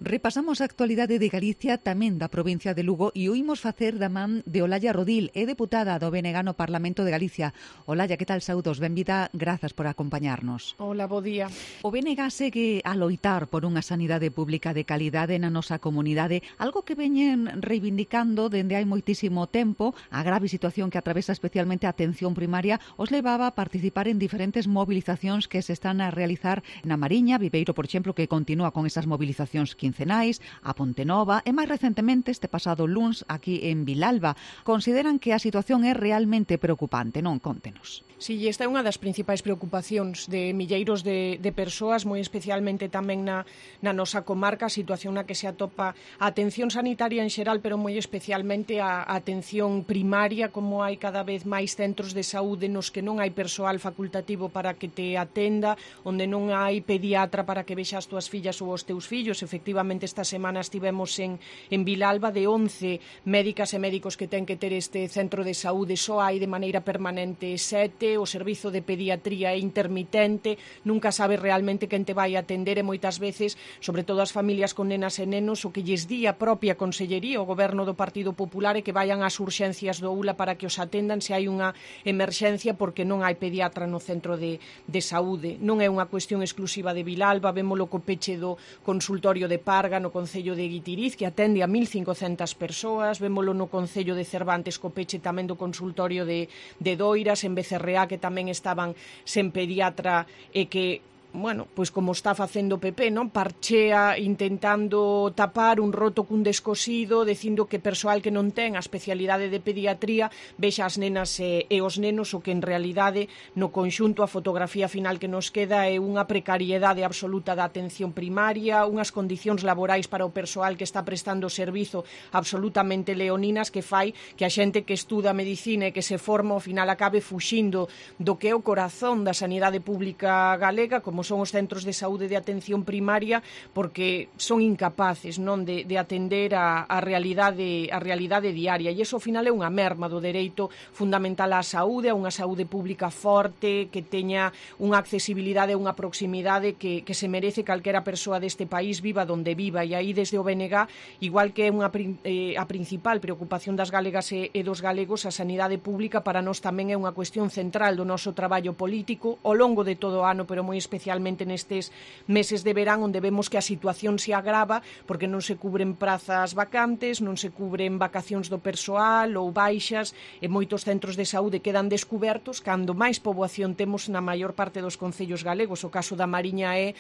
Repasamos a actualidade de Galicia, tamén da provincia de Lugo, e oímos facer da man de Olalla Rodil, é deputada do BNG no Parlamento de Galicia. Olalla, que tal, saúdos? Benvida, grazas por acompañarnos. Hola, bo día. O BNG segue a loitar por unha sanidade pública de calidade na nosa comunidade, algo que veñen reivindicando dende hai moitísimo tempo. A grave situación que atravesa especialmente a atención primaria os levaba a participar en diferentes movilizacións que se están a realizar na Mariña, Viveiro, por exemplo, que continúa con esas movilizacións quincenais, a Pontenova e máis recentemente este pasado luns aquí en Vilalba. Consideran que a situación é realmente preocupante, non? Contenos. Si, esta é unha das principais preocupacións de milleiros de persoas, moi especialmente tamén na nosa comarca, a situación na que se atopa a atención sanitaria en xeral, pero moi especialmente a atención primaria, como hai cada vez máis centros de saúde nos que non hai persoal facultativo para que te atenda, onde non hai pediatra para que vexa as túas fillas ou os teus fillos. Efectivamente, esta semana estivemos en Vilalba, de 11 médicas e médicos que ten que ter este centro de saúde, só hai de maneira permanente 7, o servizo de pediatría é intermitente, nunca sabe realmente quen te vai atender e moitas veces, sobre todo as familias con nenas e nenos, o que lles di a propia Consellería, o Goberno do Partido Popular, é que vayan ás urxencias do ULA para que os atendan se hai unha emerxencia porque non hai pediatra no centro de saúde. Non é unha cuestión exclusiva de Vilalba, vémolo co peche do consultorio de Parga no Concello de Guitiriz, que atende a 1.500 persoas, vémolo no Concello de Cervantes co peche tamén do consultorio de Doiras, en Becerreá, que tamén estaban sen pediatra e que, bueno, pois como está facendo o PP, non? Parchea intentando tapar un roto cun descosido, dicindo que persoal que non ten a especialidade de pediatría vexa as nenas e os nenos, o que en realidade no conxunto a fotografía final que nos queda é unha precariedade absoluta da atención primaria, unhas condicións laborais para o persoal que está prestando o servizo absolutamente leoninas, que fai que a xente que estuda medicina e que se forma ao final acabe fuxindo do que é o corazón da sanidade pública galega, como son os centros de saúde de atención primaria, porque son incapaces, non, de atender a realidade diaria, e iso ao final é unha merma do dereito fundamental á saúde, a unha saúde pública forte, que teña unha accesibilidade e unha proximidade que se merece calquera persoa deste país, viva donde viva. E aí desde o BNG, igual que é a principal preocupación das galegas e dos galegos, a sanidade pública para nós tamén é unha cuestión central do noso traballo político ao longo de todo o ano, pero moi especialmente nestes meses de verán, onde vemos que a situación se agrava porque non se cubren prazas vacantes, non se cubren vacacións do persoal ou baixas, e moitos centros de saúde quedan descubertos cando máis poboación temos na maior parte dos concellos galegos. O caso da Mariña é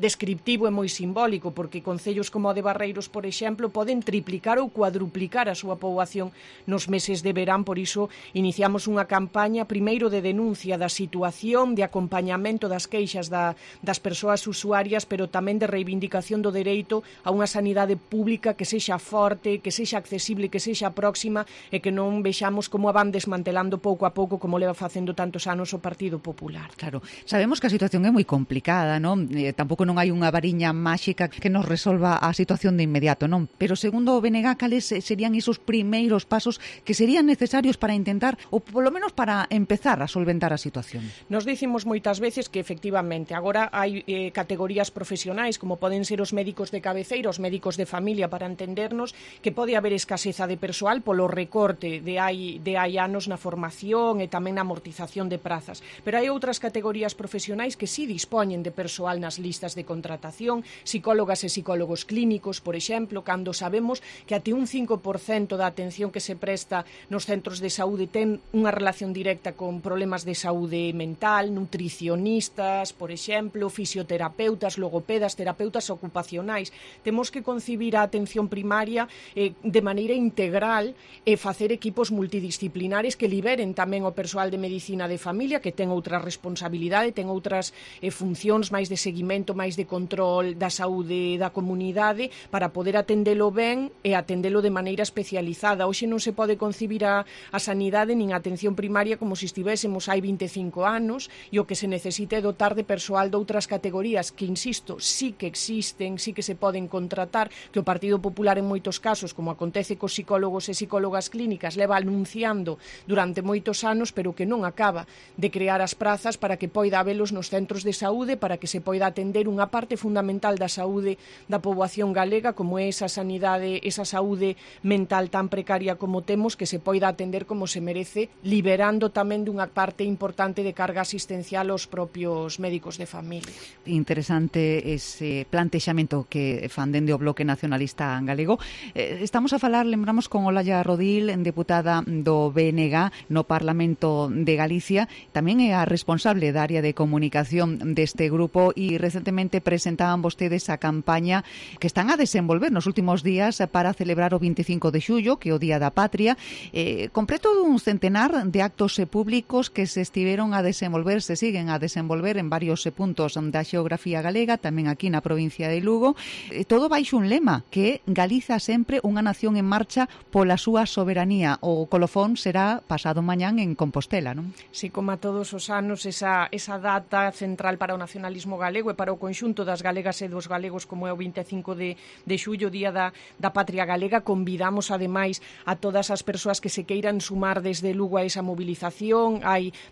descriptivo e moi simbólico, porque concellos como o de Barreiros, por exemplo, poden triplicar ou cuadruplicar a súa poboación nos meses de verán. Por iso iniciamos unha campaña primeiro de denuncia da situación, de acompañamento das queixas das persoas usuarias, pero tamén de reivindicación do dereito a unha sanidade pública que sexa forte, que sexa accesible, que sexa próxima, e que non vexamos como a van desmantelando pouco a pouco, como leva facendo tantos anos o Partido Popular. Claro, sabemos que a situación é moi complicada, non? Tampouco non hai unha variña máxica que nos resolva a situación de inmediato, non? Pero segundo o BNG, cales serían esos primeiros pasos que serían necesarios para intentar, ou polo menos para empezar a solventar a situación? Nos dicimos moitas veces que efectivamente agora hai categorías profesionais, como poden ser os médicos de cabeceira, os médicos de familia, para entendernos, que pode haber escaseza de persoal polo recorte de hai anos na formación e tamén na amortización de prazas. Pero hai outras categorías profesionais que sí dispoñen de persoal nas listas de contratación, psicólogas e psicólogos clínicos, por exemplo, cando sabemos que até un 5% da atención que se presta nos centros de saúde ten unha relación directa con problemas de saúde mental, nutricionistas, por exemplo, fisioterapeutas, logopedas, terapeutas ocupacionais. Temos que concibir a atención primaria de maneira integral e facer equipos multidisciplinares que liberen tamén o persoal de medicina de familia, que ten outra responsabilidade, ten outras funcións máis de seguimento, máis de control da saúde da comunidade, para poder atendelo ben e atendelo de maneira especializada. Hoxe non se pode concibir a sanidade nin a atención primaria como se estivésemos hai 25 anos, e o que se necesita é dotar de de persoal de outras categorías que, insisto, sí que existen, sí que se poden contratar, que o Partido Popular en moitos casos, como acontece cos psicólogos e psicólogas clínicas, leva anunciando durante moitos anos, pero que non acaba de crear as prazas para que poida habelos nos centros de saúde, para que se poida atender unha parte fundamental da saúde da poboación galega, como é esa sanidade, esa saúde mental tan precaria como temos, que se poida atender como se merece, liberando tamén dunha parte importante de carga asistencial aos propios médicos de familia. Interesante ese plantexamento que fan dende o Bloque Nacionalista Galego. Estamos a falar, lembramos, con Olalla Rodil, deputada do BNG no Parlamento de Galicia, tamén é a responsable da área de comunicación deste grupo, e recentemente presentaban vostedes a campaña que están a desenvolver nos últimos días para celebrar o 25 de xullo, que é o Día da Patria, completo dun centenar de actos públicos que se estiveron a desenvolver, se siguen a desenvolver en varios puntos da xeografía galega, tamén aquí na provincia de Lugo, todo baixo un lema, que é Galiza sempre unha nación en marcha pola súa soberanía. O colofón será pasado mañán en Compostela, non? Sí, como a todos os anos, esa data central para o nacionalismo galego e para o conxunto das galegas e dos galegos, como é o 25 de xullo, Día da Patria Galega. Convidamos, ademais, a todas as persoas que se queiran sumar desde Lugo a esa movilización.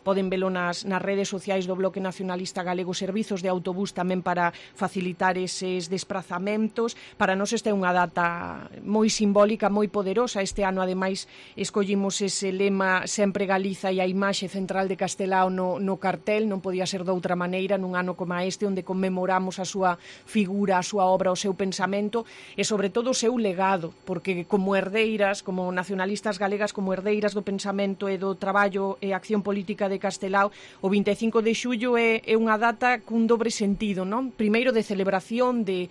Poden velo nas redes sociais do Bloque Nacionalista Galego, servizos de autobús tamén para facilitar eses desplazamentos. Para nós esta é unha data moi simbólica, moi poderosa. Este ano, ademais, escollimos ese lema Sempre Galiza e a imaxe central de Castelao no cartel. Non podía ser de outra maneira nun ano como este, onde conmemoramos a súa figura, a súa obra, o seu pensamento e, sobre todo, o seu legado, porque como herdeiras, como nacionalistas galegas, como herdeiras do pensamento e do traballo e acción política de Castelao, o 25 de xullo é unha data cun dobre sentido, non? Primeiro, de celebración, de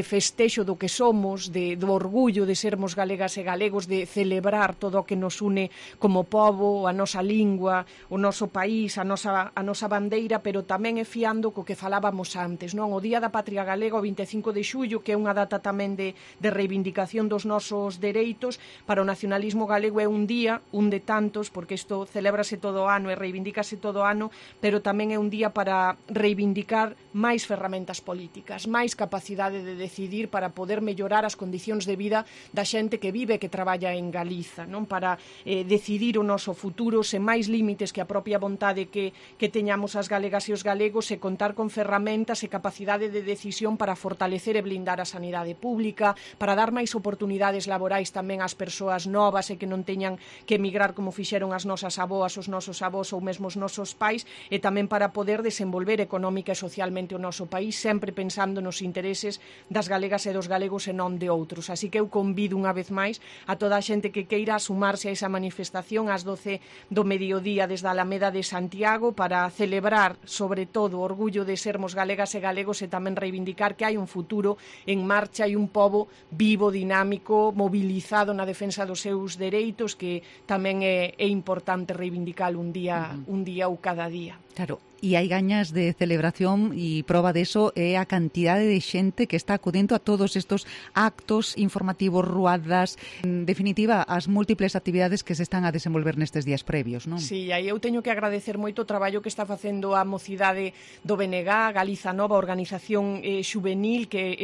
festexo do que somos, do orgullo de sermos galegas e galegos, de celebrar todo o que nos une como pobo, a nosa lingua, o noso país, a nosa bandeira, pero tamén é fiando co que falábamos antes, non? O Día da Patria Galega, o 25 de xullo, que é unha data tamén de reivindicación dos nosos dereitos. Para o nacionalismo galego é un día, un de tantos, porque isto celébrase todo o ano e reivindícase todo o ano, pero tamén é un día para reivindicar máis ferramentas políticas, máis capacidade de decidir para poder mellorar as condicións de vida da xente que vive e que traballa en Galiza, non? Para decidir o noso futuro sen máis límites que a propia vontade que teñamos as galegas e os galegos, e contar con ferramentas e capacidade de decisión para fortalecer e blindar a sanidade pública, para dar máis oportunidades laborais tamén ás persoas novas e que non teñan que emigrar como fixeron as nosas aboas, os nosos avós ou mesmo os nosos pais, e tamén para poder desenvolver económica e socialmente o noso país, sempre pensando nos intereses das galegas e dos galegos e non de outros. Así que eu convido unha vez máis a toda a xente que queira sumarse a esa manifestación ás 12 do mediodía desde a Alameda de Santiago, para celebrar, sobre todo, o orgullo de sermos galegas e galegos, e tamén reivindicar que hai un futuro en marcha e un pobo vivo, dinámico, mobilizado na defensa dos seus dereitos, que tamén é importante reivindicar un día ou cada día. Claro. E hai gañas de celebración, e prova deso é a cantidade de xente que está acudendo a todos estos actos informativos, ruadas, en definitiva, as múltiples actividades que se están a desenvolver nestes días previos, non? Sí, aí eu teño que agradecer moito o traballo que está facendo a mocidade do BNG, Galiza Nova, organización xuvenil, que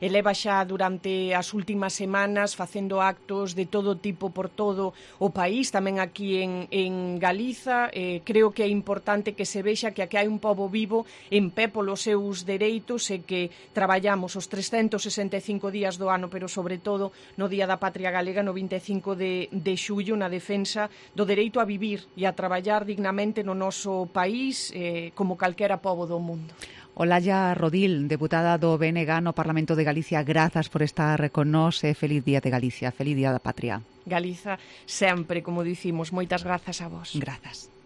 eleva xa durante as últimas semanas facendo actos de todo tipo por todo o país, tamén aquí en Galiza. Creo que é importante que se vexa que aquí hai un pobo vivo en pé polos seus dereitos, e que traballamos os 365 días do ano, pero sobre todo no Día da Patria Galega, no 25 de xullo, na defensa do dereito a vivir e a traballar dignamente no noso país, como calquera pobo do mundo. Olalla Rodil, deputada do BNG no Parlamento de Galicia, grazas por estar con nós e feliz Día de Galicia, feliz Día da Patria. Galiza sempre, como dicimos, moitas grazas a vos. Grazas.